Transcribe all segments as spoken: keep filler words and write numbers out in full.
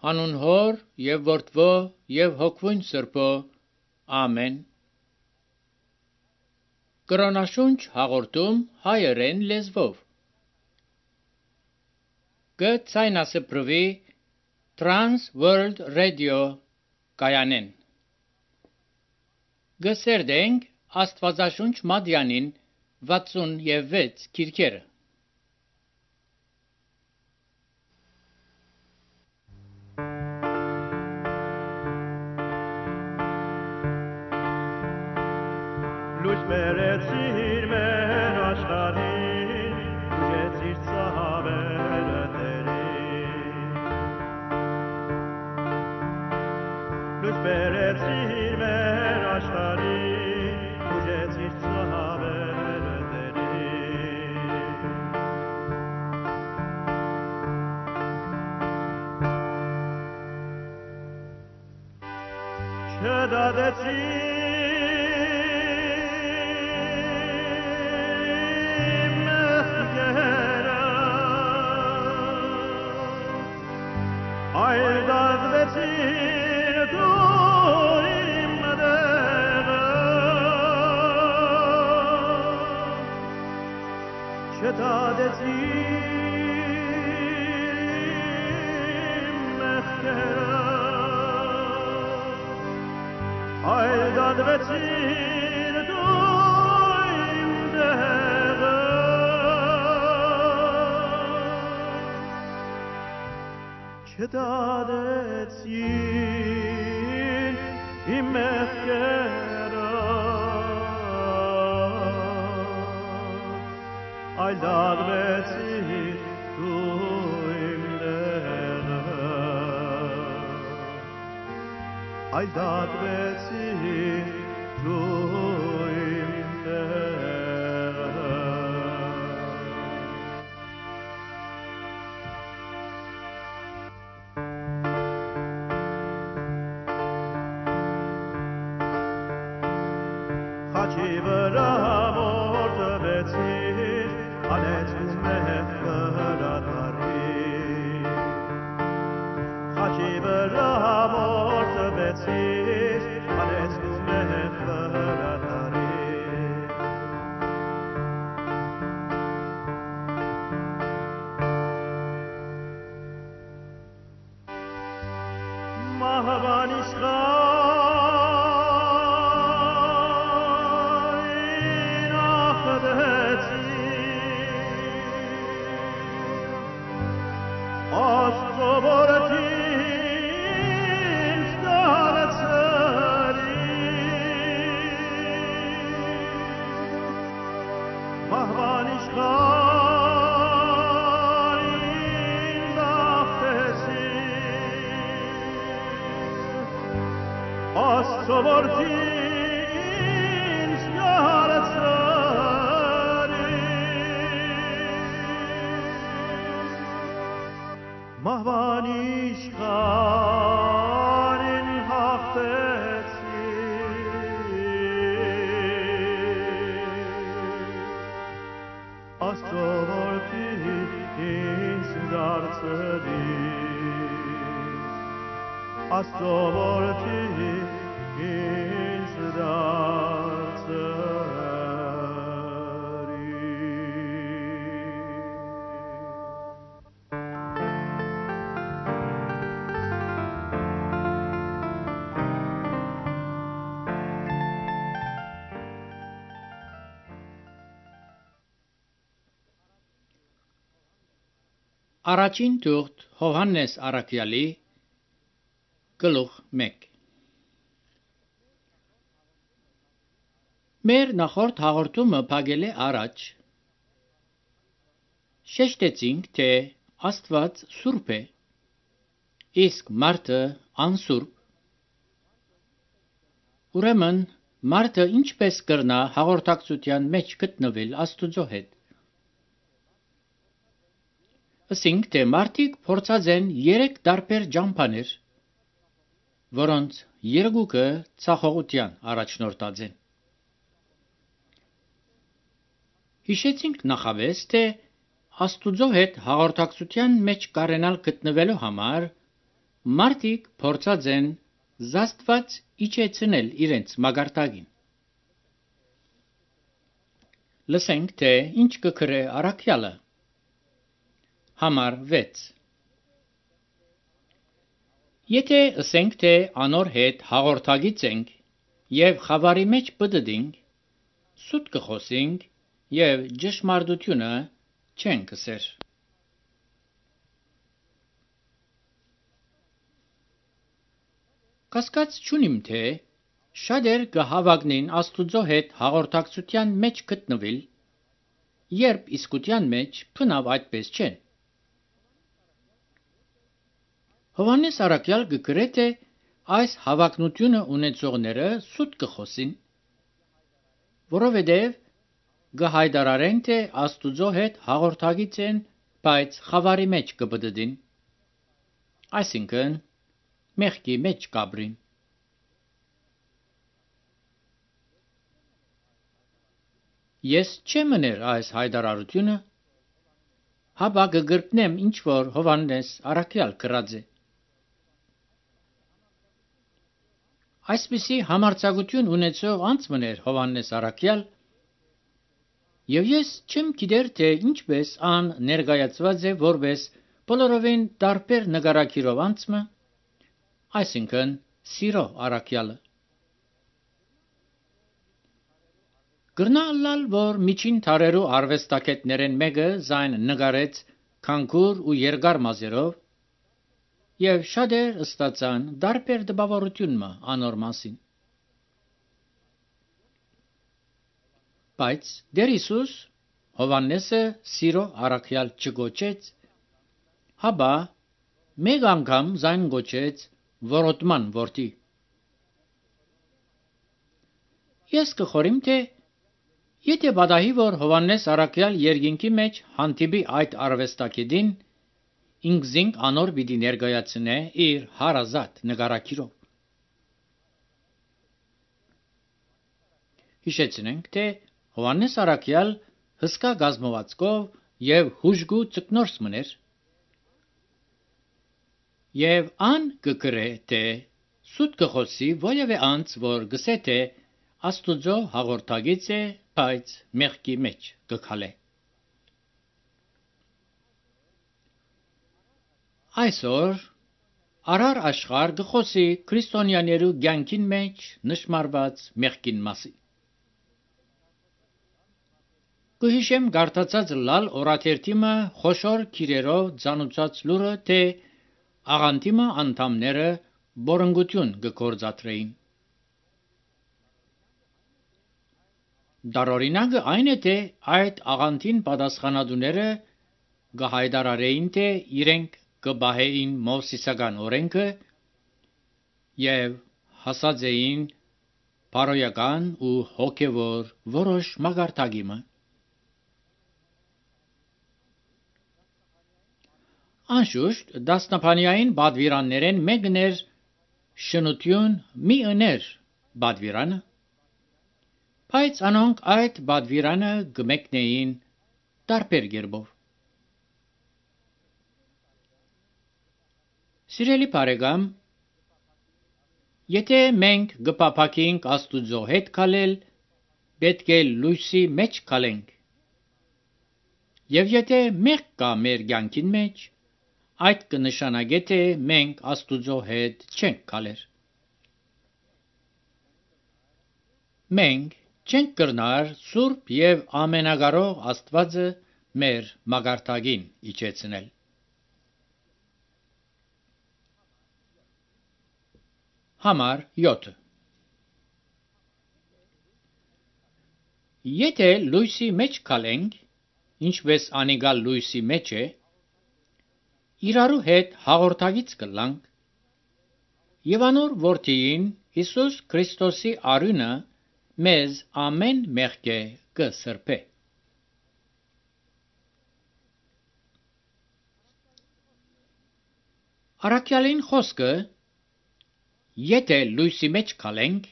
Հանուն Հոր եւ Որդվո եւ Հոգվույն Սրբո։ Ամեն։ Կրոնաշունչ հաղորդում հայերեն լեզվով։ Գցայնասպրվի Trans World Radio կայանեն։ Գսերդենք Աստվածաշունչ Մադյանին վաթսունվեց քիրքերը։ Լույս բերեցիր մեր աշխարհին, ուժեցիր ծավերը Տերին։ Լույս բերեցիր մեր աշխարհին, ուժեցիր ծավերը Տերին։ Չդադեցիր Այդադվեցիր դու իմ դեղը, չդադեցիր իմ մեղքերը, այդադվեցիր դու իմ դեղը, այդադվեցիր Խաչի վրա մորթվեցիր, անեցնում եմ վրատարի։ Խաչի վրա մորթվեցիր, անեցնում եմ վրատարի։ Մահվան իշխան Աստծո որդին ստացրի, մահվան իշխանին բախտեցի, Աստծո որդին ստացրի, մահվան իշխանին հաղթեցի, Աստծո որդին ինձ դարձրի, Աստծո որդին ինձ դարձրի։ Առաջին թուղթ Հովհաննես առաքյալի գլուխ մեկ։ Մեր նախորդ հաղորդումը փակել է առաջ։ Շեշտեցինք, թե Աստված սուրբ է, իսկ մարդը անսուրբ։ Ուրեմն մարդը ինչպես կրնա հաղորդակցության մեջ գտնվել Աստուծո հետ։ Ասինք, թե մարդիկ փորձած են երեք տարբեր ճամփաներ, որոնց երկուքը ցախողության առաջնորդած են։ Հիշեցինք նախավես, թե Աստուծո հետ հաղորդակցության մեջ կարենալ գտնվելու համար մարդիկ փորձած են զաստված իջեցնել իրենց մագարտագին։ Լսենք, թե ինչ կգրե առաքյալը։ Համար վեց։ Եթե ասենք, թե անոր հետ հաղորդագից ենք և խավարի մեջ պտտինք, սուտ կխոսինք և ճշմարտությունը չենք ասեր։ Կասկած չունիմ, թե շատեր կհավագնին Աստուծո հետ հաղորդակցության մեջ գտնվել, երբ իսկության մեջ բնավ այդպես չեն։ Հովհաննես առաքյալ կգրե, թե այս հավակնությունը ունեցողները սուտ կխոսին, որովհետև կհայտարարեն, թե Աստուծո հետ հաղորդագից են, բայց խավարի մեջ կպտտին, այսինքն մեղքի մեջ կապրին։ Ես չեմ ուներ այս հայտարարությունը, հապա կգրկնեմ ինչ որ Հովհաննես առաքյալ գրած է։ Այսպիսի համարձակություն ունեցող անձմներ Հովհաննես առաքյալ, և ես չեմ գիտեր, թե ինչպես ան ներկայացված է որպես բոլորովին տարբեր նկարագիրով անձը, այսինքն սիրո առաքյալը։ Կրնա ըլլալ, որ միջին դարերու արվեստագետներեն մեկը զայն նկարեց քանքուր ու երկար մազերով, և շատեր ստացան տարբեր տպավորություն անոր մասին։ Բայց Տեր Հիսուս Հովհաննեսը սիրո առաքյալ չկոչեց, հապա մեկ անգամ զայն կոչեց որոտման որդի։ Ես կխորիմ, թե եթե պատահի, որ Հովհաննես առաքյալ երկինքի մեջ հանդիպի այդ արվեստագետին, ինքզինք անոր պիտի ներկայացնե իր հարազատ նկարագիրով։ Հիշեցնենք, թե Հովհաննես առաքյալ հսկա կազմվածքով և հուժկու ծկնորս մներ, և ան կգրե, թե սուտ կխոսի որևէ անձ, որ գսե, թե Աստուծո հաղորդագից է, բայց մեղքի մեջ կքալե։ Այսօր արար աշխարհ կխոսի քրիստոնյաներու կյանքին մեջ նշմարված մեղքին մասին։ Կհիշեմ կարդացած լալ օրաթերթիմը խոշոր քիրերով ծանուցած լուրը, թե աղանդիմը անդամները բորնգություն կգործադրեին։ Դարօրինակը այն է, թե այդ աղանդին պատասխանատուները կհայտարարեին, թե իրենք կպահեին Մովսիսական օրենքը և հասած էին բարոյական ու հոգևոր որոշ մակարդակի։ Անշուշտ դասնապանյային պատվիրաններեն մեկն էր շնություն մի ըներ պատվիրանը, բայց անոնք այդ պատվիրանը կմեկնեին տարբեր կերպով։ Սիրելի բարեկամ, եթե մենք կփափագենք Աստուծո հետ քալել, պետք է լույսի մեջ քալենք, և եթե մեղք կա մեր կյանքին մեջ, այդ կնշանակե, թե մենք Աստուծո հետ չենք քալեր։ Մենք չենք կրնար սուրբ և ամենակարող Աստվածը մեր մակարդակին իջեցնել։ Համար յոթ։ Եթե լույսի մեջ քալենք, ինչպես անիկալ լույսի մեջ է, իրարու հետ հաղորդագից կլանք, և անոր որդիին Հիսուս Քրիստոսի արյունը մեզ ամեն մեղքէ կսրբե։ Առաքյալին խոսքը եթե լույսի մեջ քալենք,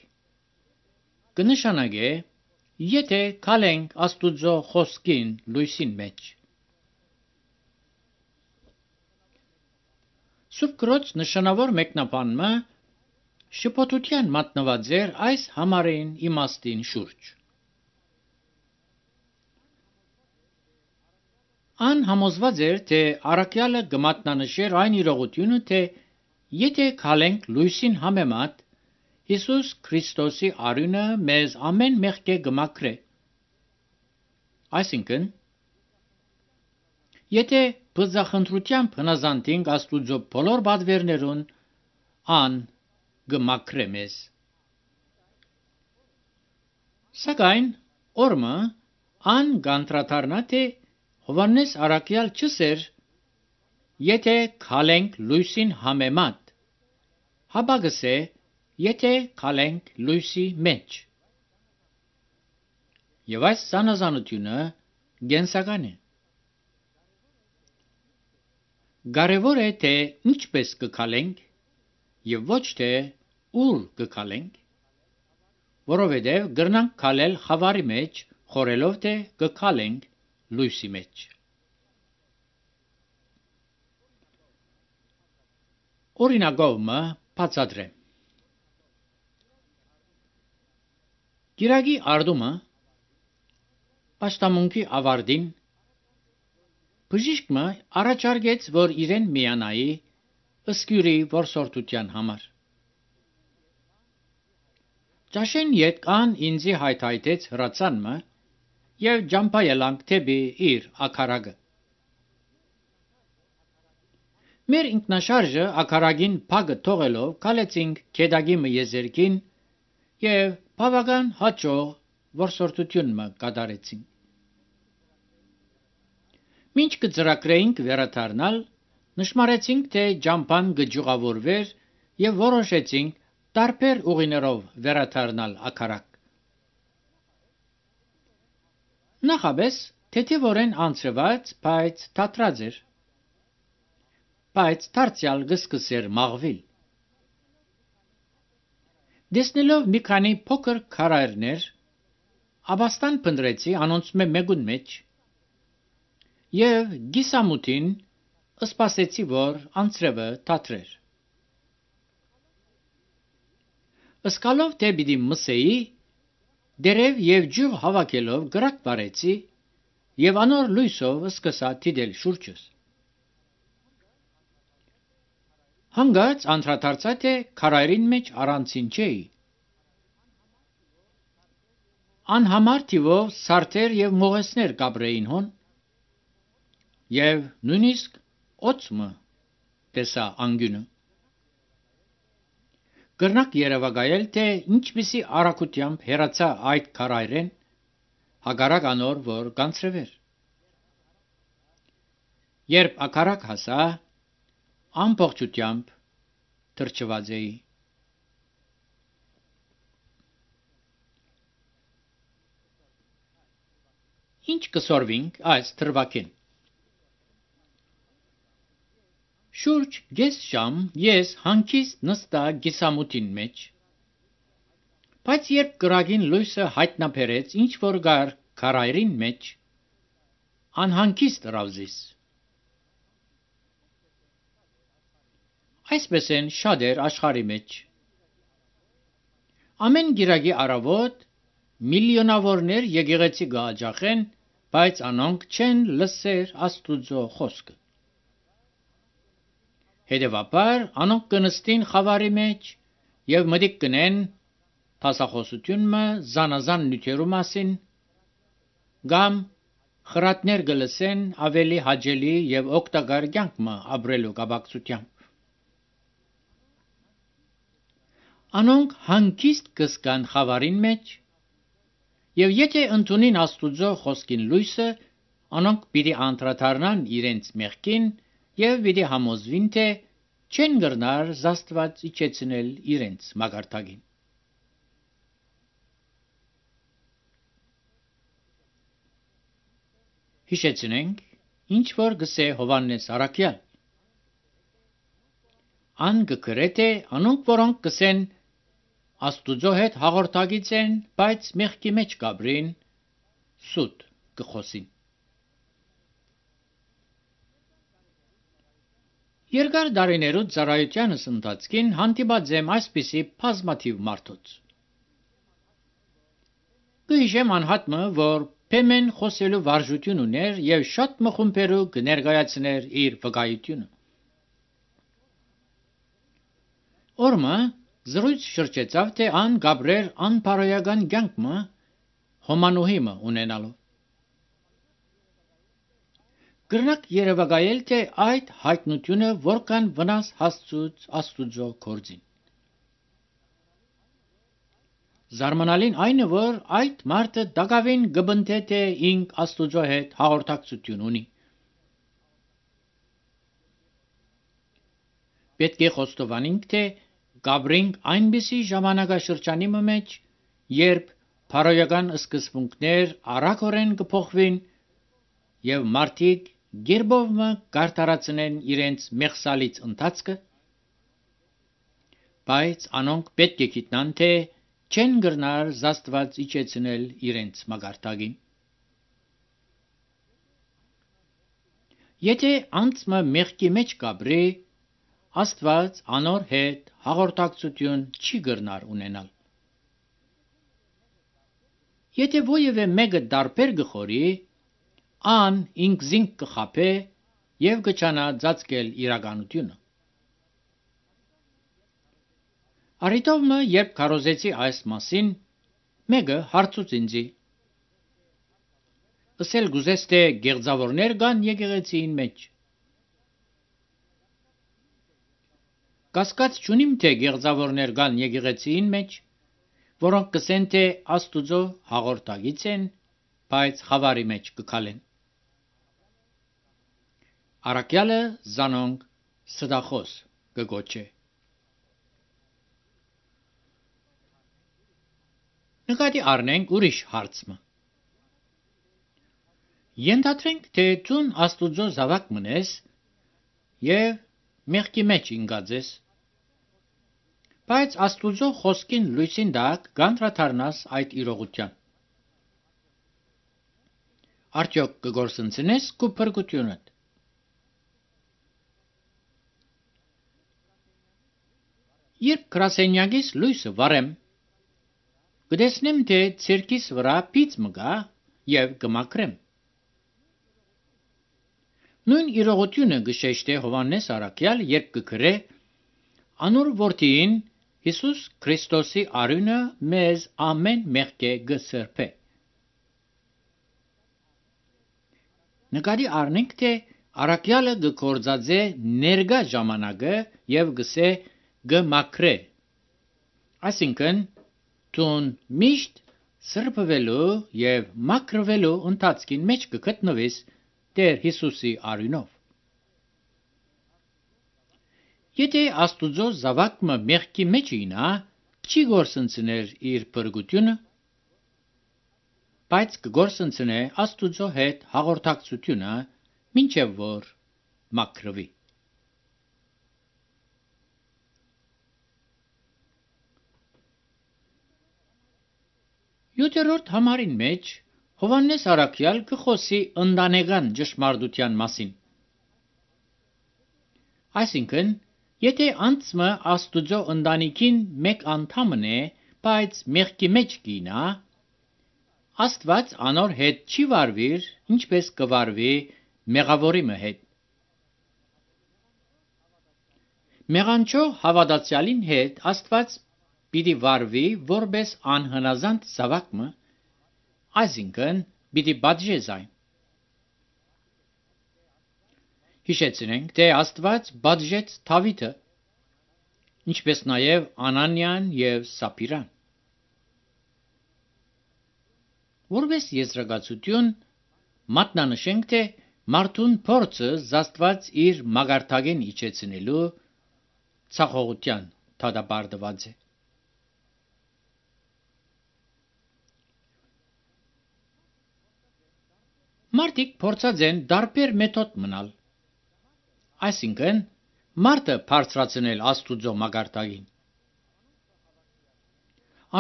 կնշանակե եթե քալենք Աստուծո խոսքին լույսին մեջ։ Սուրբ Գրոց նշանավոր մեկնաբանումը շփոթության մատնված էր այս համարին իմաստին շուրջ։ Ան համոզված էր, թե առաքյալը կմատնանշեր այն իրողությունը, թե եթե քալենք լույսին համեմատ, Հիսուս Քրիստոսի արյունը մեզ ամեն մեղքե կմաքրե։ Այսինքն, եթե բզախնդրությամբ հնազանդենք Աստուծո բոլոր բادվերներուն, ան կմաքրե մեզ։ Սակայն օրմը ան կանդրադառնա, թե Հովհաննես առաքյալ չսեր, եթե քալենք լույսին համեմատ, հապա գսե, եթե քալենք լույսի մեջ։ Եվ այս զանազանությունը գենսական է։ Կարևոր է, թե ինչպես կքալենք եւ ոչ թե ուր կքալենք, որովհետեւ կրնանք քալել խավարի մեջ, խորելով թե կքալենք լույսի մեջ։ Օրինակով բացատրեմ։ Գիրագի արդումը պաշտամունքի ավարտին բժիշկը առաջարկեց, որ իրեն միանայի ըսկյուրի որսորդության համար։ Ճաշեն ետ կան ինձի հայթայթեց հրացանմը և ջամփայելանք թեպի իր ակարագը։ Մեր ինքնաշարժը ակարագին փագը թողելով կալեցինք քեդագի եզերքին և բավական հաջող որսորդությունը կատարեցինք։ Մինչ կծրագրեինք վերադառնալ, նշմարեցինք, թե ջամփան կջուղավորվեր և որոշեցինք տարբեր ուղիներով վերադառնալ ակարակ։ Նախապես թեթևորեն անցրված, բայց թատրած էր, բայց դարձյալ կսկսեր մաղվել։ Դեսնելով մի քանի փոքր քարայրներ, աբաստան փնտրեցի անոնց մեկուն մեջ և գիսամութին սպասեցի, որ անձրևը թատրեր։ Սկալով թե պիտի մսեի, դերև և ջուղ հավաքելով կրակ վարեցի և անոր լույսով սկսա դիտել շուրջս։ Հանգած անդրադարձա, թե քարայրին մեջ առանցին չէի։ Անհամար թիվով սարդեր և մողեսներ կապրեին հոն, և նույնիսկ օծմը տեսա անգյունը։ Կրնակ երևակայել, թե ինչպիսի արագությամբ հեռացա այդ քարայրեն, հակառակ անոր, որ կանցրվեր։ Երբ ակարակ հասա, ամբողջությամբ թրջված էի։ Ինչ կսորվինք այս թրվակին։ Շուրջ կես ժամ ես հանգիստ նստա գիսամութին մեջ, բայց երբ կրակին լույսը հայտնաբերեց ինչ որ գար քարայրին մեջ, անհանգիստ ռավզիս։ Այսպես են շատեր աշխարհի մեջ։ Ամեն գիրագի առավոտ միլիոնավորներ եկեղեցի կհաջախեն, բայց անոնք չեն լսեր Աստուծո խոսքը։ Հետևաբար անոնք կնստին խավարի մեջ և մտիկ կնեն դասախոսությունը զանազան նյութերու մասին, կամ խրատներ կլսեն ավելի հաճելի և օգտակար կյանք ապրելու կապակցությամբ։ Անոնք հանգիստ կզգան խավարին մեջ, և եթե ընդունին Աստուծո խոսքին լույսը, անոնք պիտի անդրադառնան իրենց մեղքին և պիտի համոզվին, թե չեն կրնար Աստված իջեցնել իրենց մակարդակին։ Հիշեցնենք, ինչ որ գսե Հովհաննես առաքյալ։ Ան կգրե, թե անոնք, որոնք գսեն Աստուծո հետ հաղորդակից են, բայց մեղքի մեջ կապրին, սուտ կխոսին։ Երկար դարիներու ծառայությանս ընթացքին հանդիպած եմ այսպիսի բազմաթիվ մարդոց։ Գիշեմ անհատը, որ փեմեն խոսելու վարժություն ուներ եւ շատ մխումբերու կներկայացներ իր վկայությունը։ Օրմը զրույց շրջեցավ, թե ան գաբրեր անփարոյական կյանքը հոմանուհիմը ունենալով։ Գրնակ երևակայել, թե այդ հայտնությունը որքան վնաս հասցուց Աստուծո գործին։ Զարմանալին այն է, որ այդ մարդը դակավին գբնթե թե ինք Աստուծո հետ հաղորդակցություն ունի։ Պետք է խոստովանենք, թե Գաբրինք այնպիսի ժամանակաշրջանի մեջ, երբ փարոյական սկզբունքներ արագորեն կփոխվին եւ մարդիկ գերբովը կարտարացնեն իրենց մեղսալից ընթացքը, բայց անոնք պետք է գիտնան, թե չեն գրնար զաստված իջեցնել իրենց մագարտագին։ Եթե անցմը մեղքի մեջ կաբրի, Աստված անոր հետ հաղորդակցություն չի գրնար ունենալ։ Եթե ոևէ մեկը դարբեր գխորի, ան ինքզինք կխապե եւ կչանա ծածկել իրականությունը։ Արիտովը, երբ քարոզեցի այս մասին, մեկը հարցուց ինձի. «Ասել գուզես, թե գեղձավորներ կան եկեղեցին մեջ»։ Կասկած չունիմ, թե գեղձավորներ կան եկեղեցին մեջ, որոնք կսեն, թե Աստուծո հաղորդագից են, բայց խավարի մեջ կքալեն։ Առաքյալը զանոնք ստախոս կգոչե։ Նկատի առնենք ուրիշ հարցը։ Ենթադրենք, թե ցուն Աստուծո զավակ մնես եւ մեղքի մեջ ինգած ես, բայց Աստուծո խոսքին լույսին դակ կանդրադառնաս այդ իրողության։ Արդյոք կգործընծնես քո փրկությունդ։ Երբ գրասենյակից լույսը վարեմ, կտեսնեմ, թե ցերկիս վրա պիծ մգա եւ կմաքրեմ։ Նույն իրողությունը գշեշտե Հովանես Առաքյալ, երբ կգրե անոր որդին Հիսուս Քրիստոսի արյունը մեզ ամեն մեղքե գսրբե։ Նկատի առնենք, թե Առաքյալը գործածե ներգա ժամանակը եւ գսե գմաքրե, այսինքն տուն միշտ սրբվելու եւ մաքրվելու ընթացքին մեջ կգտնվես Տեր Հիսուսի արյունով։ Եթե Աստուծո զավակը մեղքի մեջ ինա, չի գործընծներ իր փրկությունը, բայց կգործընծնե Աստուծո հետ հաղորդակցությունը, մինչև որ մաքրվի։ Յոթերորդ համարին մեջ Հովանես Առաքյալ կխոսի ընտանեկան ճշմարտության մասին։ Այսինքն, եթե անցմը Աստուծո ընտանիքին մեկ անդամն է, բայց մեղքի մեջ կինա, Աստված անոր հետ չի վարվիր, ինչպես կվարվի մեղավորի հետ։ Մեղանչո հավատացյալին հետ Աստված պիտի վարվի որպես անհնազանդ զավակը, այսինքն պիտի պատժես այն։ Հիշեցնենք, թե Աստված պատժեց Դավիթը, ինչպես նաև Անանիան և Սապիրան։ Որպես եզրակացություն մատնանշենք, թե մարդուն փորձը Աստված իր մագարտագեն իջեցնելու ցախողության դատապարտված է։ Մարդիկ փորձած են դարբեր մեթոդ մնալ, այսինքն մարդը բարձրացնել Աստուծո մագարտագին։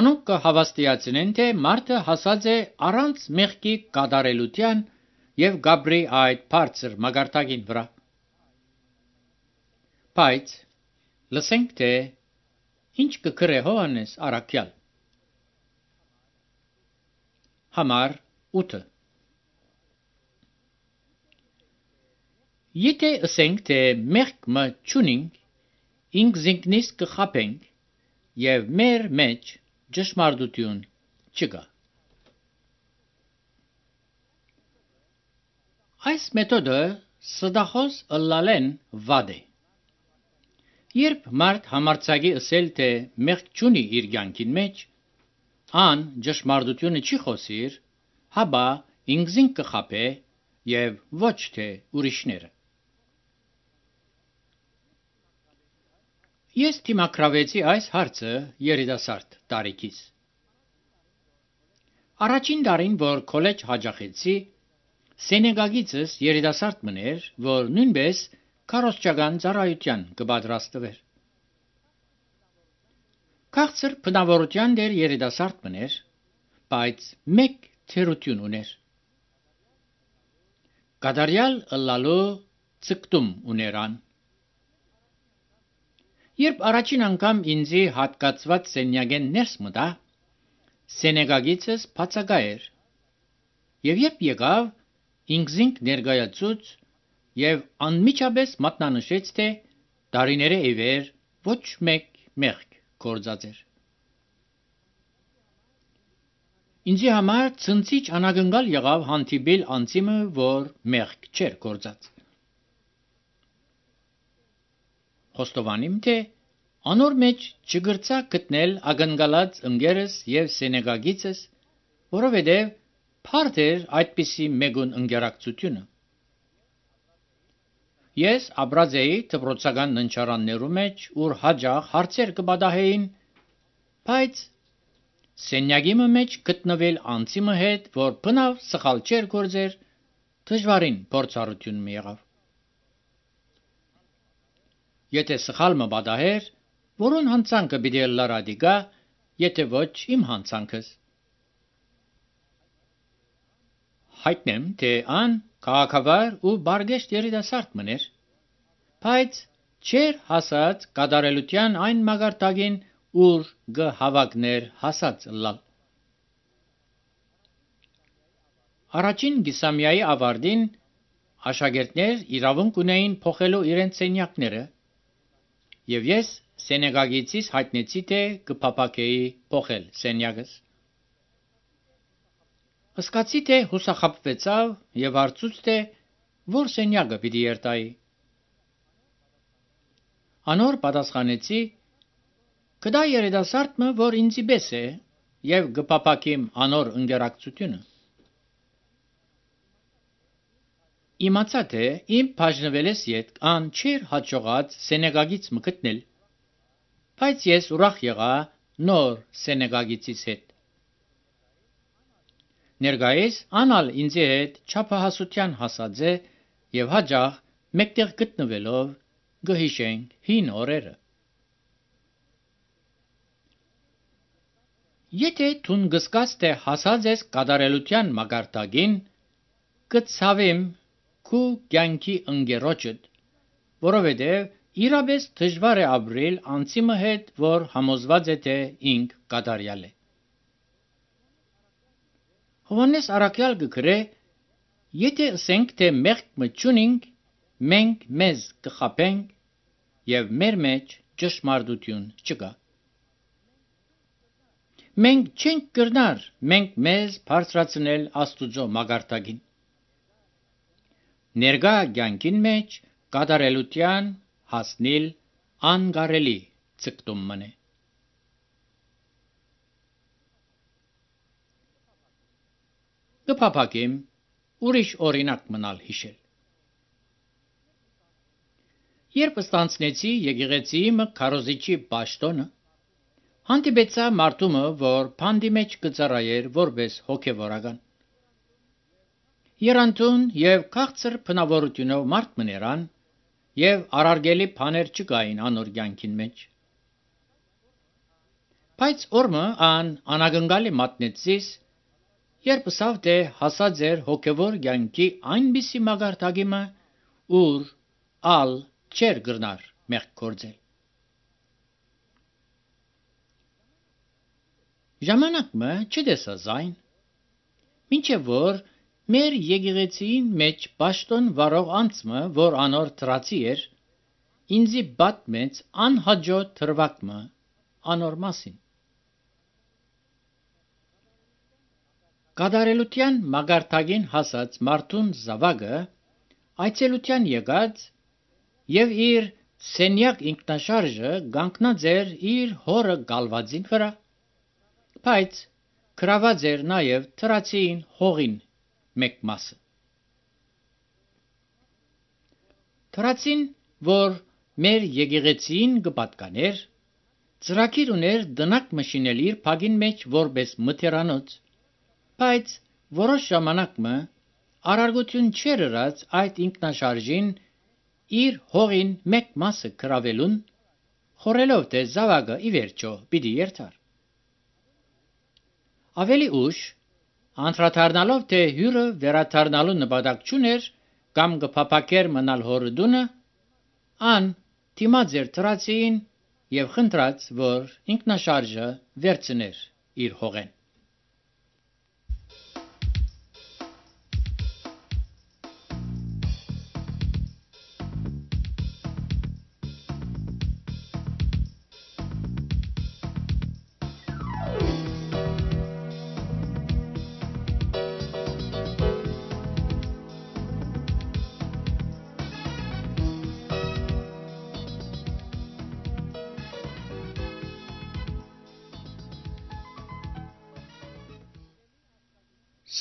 Անոնք կհավաստիացնեն, թե մարդը հասած է առանց մեղքի կատարելության եւ գաբրի այդ բարձր մագարտագին վրա։ Բայց լսենք թե ինչ կգրե Հովհաննես առաքյալ։ Համար ութ Եթե ասենք թե մեղք մը չունենք, ինք զինքնից կխաբենք եւ մեր մեջ ճշմարտություն չկա։ Այս մեթոդը սդախոս ըլլալեն վադ է։ Երբ մարդ համարցակի ասել թե մեղք չունի իր կյանքին մեջ, ան ճշմարտությունը չի խոսիր, հաբա ինք զինք կխաբե եւ ոչ թե ուրիշները։ Ես դիմակրավեցի այս հարցը երիտասարդ տարիքից։ Առաջին տարին, որ քոլեջ հաջախեցի, Սենեգագիցս երիտասարդ մներ, որ նույնպես քարոզչական ծառայության կպատրաստվեր։ Քաղցր բնավորության դեր երիտասարդ մներ, բայց մեկ թերություն ուներ։ Կատարյալ ըլլալու ցկտում ուներան։ Երբ առաջին անգամ ինձի հատկացված սենյակեն ներս մտա, Սենեգագիցս բացակա էր, եւ երբ եկավ, ինքզինք ներկայացուց եւ անմիջապես մատնանշեց, թե տարիները իվեր ոչ մեկ մեղք գործած էր։ Ինձի համար ցնցիչ անագնկալ եղավ հանդիպել անձիմը, որ մեղք չէր գործած։ Խոստովանիմ, թե անոր մեջ չգրծա գտնել ագնկալած ընկերս եւ Սենեգագիցս, որովհետեւ փարդ էր այդպիսի մեգուն ընկերակցությունը։ Ես ապրած էի դպրոցական ննչարաններու մեջ, ուր հաջող հարցեր կպատահեին, բայց սենյակի մեջ գտնվել անձիմը հետ, որ բնավ սխալ չէր գործեր, դժվարին փորձառություն մի եղավ։ Եթե սխալ մը պատահեր, որուն հանցանքը պիտի լարադիկա, եթե ոչ իմ հանցանքս։ Հայտնեմ, թե ան քաղաքավար ու բարգեշտ երիտասարդ մներ, բայց չէր հասած կատարելության այն մագարտակին, ուր գհավակներ հասած լալ։ Առաջին գիսամյայի ավարտին աշակերտներ իրավունք ունեին փոխելու իրենց սենյակները, եւ ես Սենեգագիցից հայտնեցի, թե կփապակեի փոխել սենյակս։ Սկացի, թե հուսախաբվեցավ եւ հարցուց, թե որ սենյակը պիտի երթայի։ Անոր պատասխանեցի. «Կդա երիտասարդը, որ ինձի պես է, եւ կփապակիմ անոր ընկերակցությունը»։ Իմացա, թե իմ բաժնվելես յետ ան չէր հաջողած Սենեգագից մը գտնել, բայց ես ուրախ եղա նոր Սենեգագիցից հետ։ Ներկայիս անալ ինձի հետ չափահասության հասած է եւ հաջող մեկտեղ գտնվելով գհիշենք հին օրերը։ Եթե դուն գսկած թե հասած ես կատարելության մագարտակին, կցավեմ քու կյանքի ընկերոջդ, որովհետև իրապես դժվար է ապրել անձիմը հետ, որ համոզված է, թե ինք կատարյալ է։ Հովհաննես առաքյալ կգրե. եթե ասենք, թե մեղք մը չունենք, մենք մեզ կխաբենք եւ մեր մեջ ճշմարտություն չկա։ Մենք չենք կրնար մենք մեզ բարձրացնել Աստուծո մագարտակին։ Ներկա կյանքին մեջ կատարելության հասնել անկարելի ցկտում մնե։ Կփապակեմ ուրիշ օրինակ մնալ հիշել։ Երբ ստանցնեցի եկեղեցի մը քարոզիչի պաշտոնը, հանդիպեցա մարդումը, որ փանդի մեջ կծառայեր որպես հոգևորական։ Երանտուն եւ քաղցր բնավորությունով մարդ մներան եւ արարգելի բաներ չկային անոր կյանքին մեջ։ Բայց օրմը ան անագնկալի մատնեցիս, երբ ասավ, թե հասած էր հոգևոր կյանքի այնպիսի մագարտակի մը, ուր ալ չեր գրնար մեղք գործել։ Ժամանակը չդեսա զայն, մինչև որ մեր եկեղեցին մեջ պաշտոն վարող անձը, որ անոր թրացի էր, ինձի բատմեց անհաջո թրվակմը անոր մասին։ Կատարելության մագարտագին հասած մարդուն զավակը այցելության եկած եւ իր սենյակ ինքնաշարժը գանկնած էր իր հորը գալվածին վրա, բայց գրաված էր նաեւ թրացին հողին մեկ մասը։ Թրացին, որ մեր եկեղեցին կպատկաներ, ծրագիր ուներ դնակ մշինել իր փագին մեջ որպես մթերանոց, բայց որոշ ժամանակը արարգություն չեր ըրած այդ ինքնաշարժին իր հողին մեկ մասը գրավելուն, խորելով թե զավակը ի վերջո պիտի երթար։ Ավելի ուշ, անդրադառնալով թե հյուրը վերադառնալու նպատակ չուներ կամ կփափակեր մնալ հորը դունը, ան դիմաց էր թրացին եւ խնդրած, որ ինքնաշարժը վերցներ իր հողեն։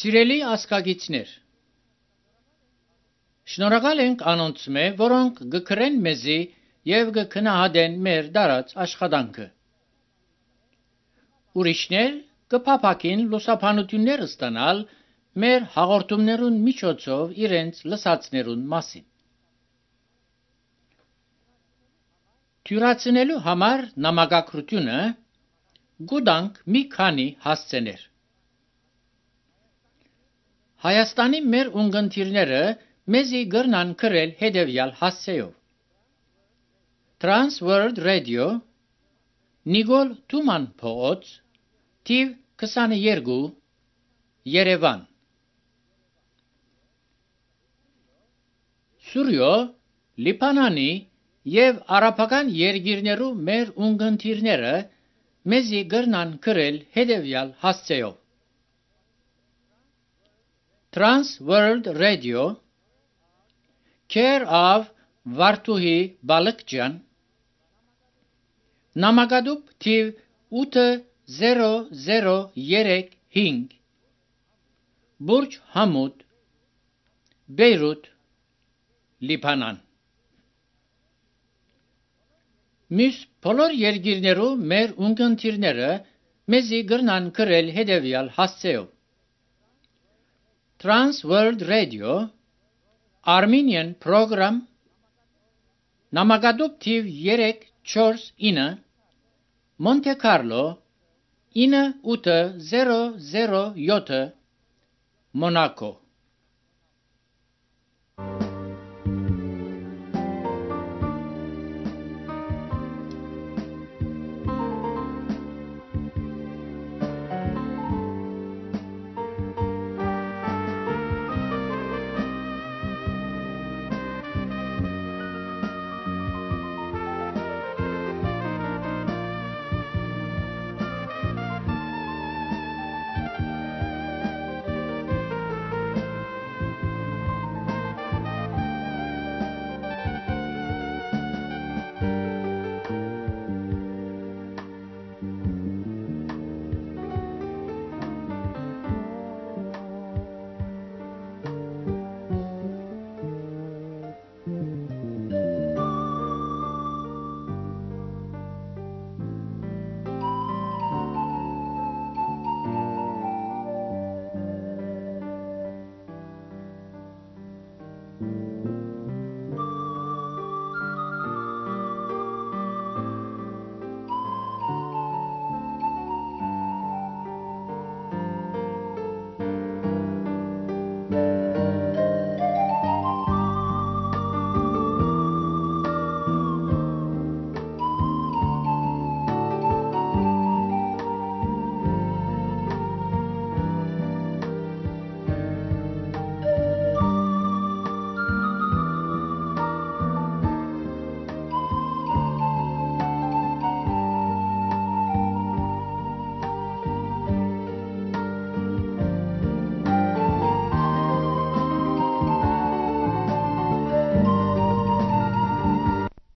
Սիրելի ասկագիցներ, շնորհակալ ենք անոնց մե, որոնք գկրեն մեզի եւ գքնահատեն մեր դարած աշխատանքը։ Ուրիշներ կփափակին լուսաբանություններ ստանալ մեր հաղորդումներուն միջոցով իրենց լսածներուն մասին։ Թյուրացնելու համար նամակագրությունը գուտանք մի քանի հասցեներ։ Հայաստանի մեր ունգընտիրները մեզի գրնան գրել հետևյալ հասցեով. Trans World Radio, Նիկոլ Թուման փողոց, թիվ քսաներկու, Երևան։ Սուրյո, Լիբանանի եւ արաբական երկիրներու մեր ունգընտիրները մեզի գրնան գրել հետևյալ հասցեով. Trans World Radio, Care of Վարդուհի Բալկջյան, Նամակադուբ թիվ ութ զերո զերո երեք հինգ, Բուրջ Համուդ, Բեյրութ, Լիբանան։ Մյուս բոլոր երկիրներու մեր ունգընտիրները մեզի գրնան գրել հետևյալ հասցեով. Trans World Radio, Armenian Program, Նամակադուբ թիվ երեք չորս ինը, Monte Carlo, ինը ութ զերո զերո յոթ, Monaco։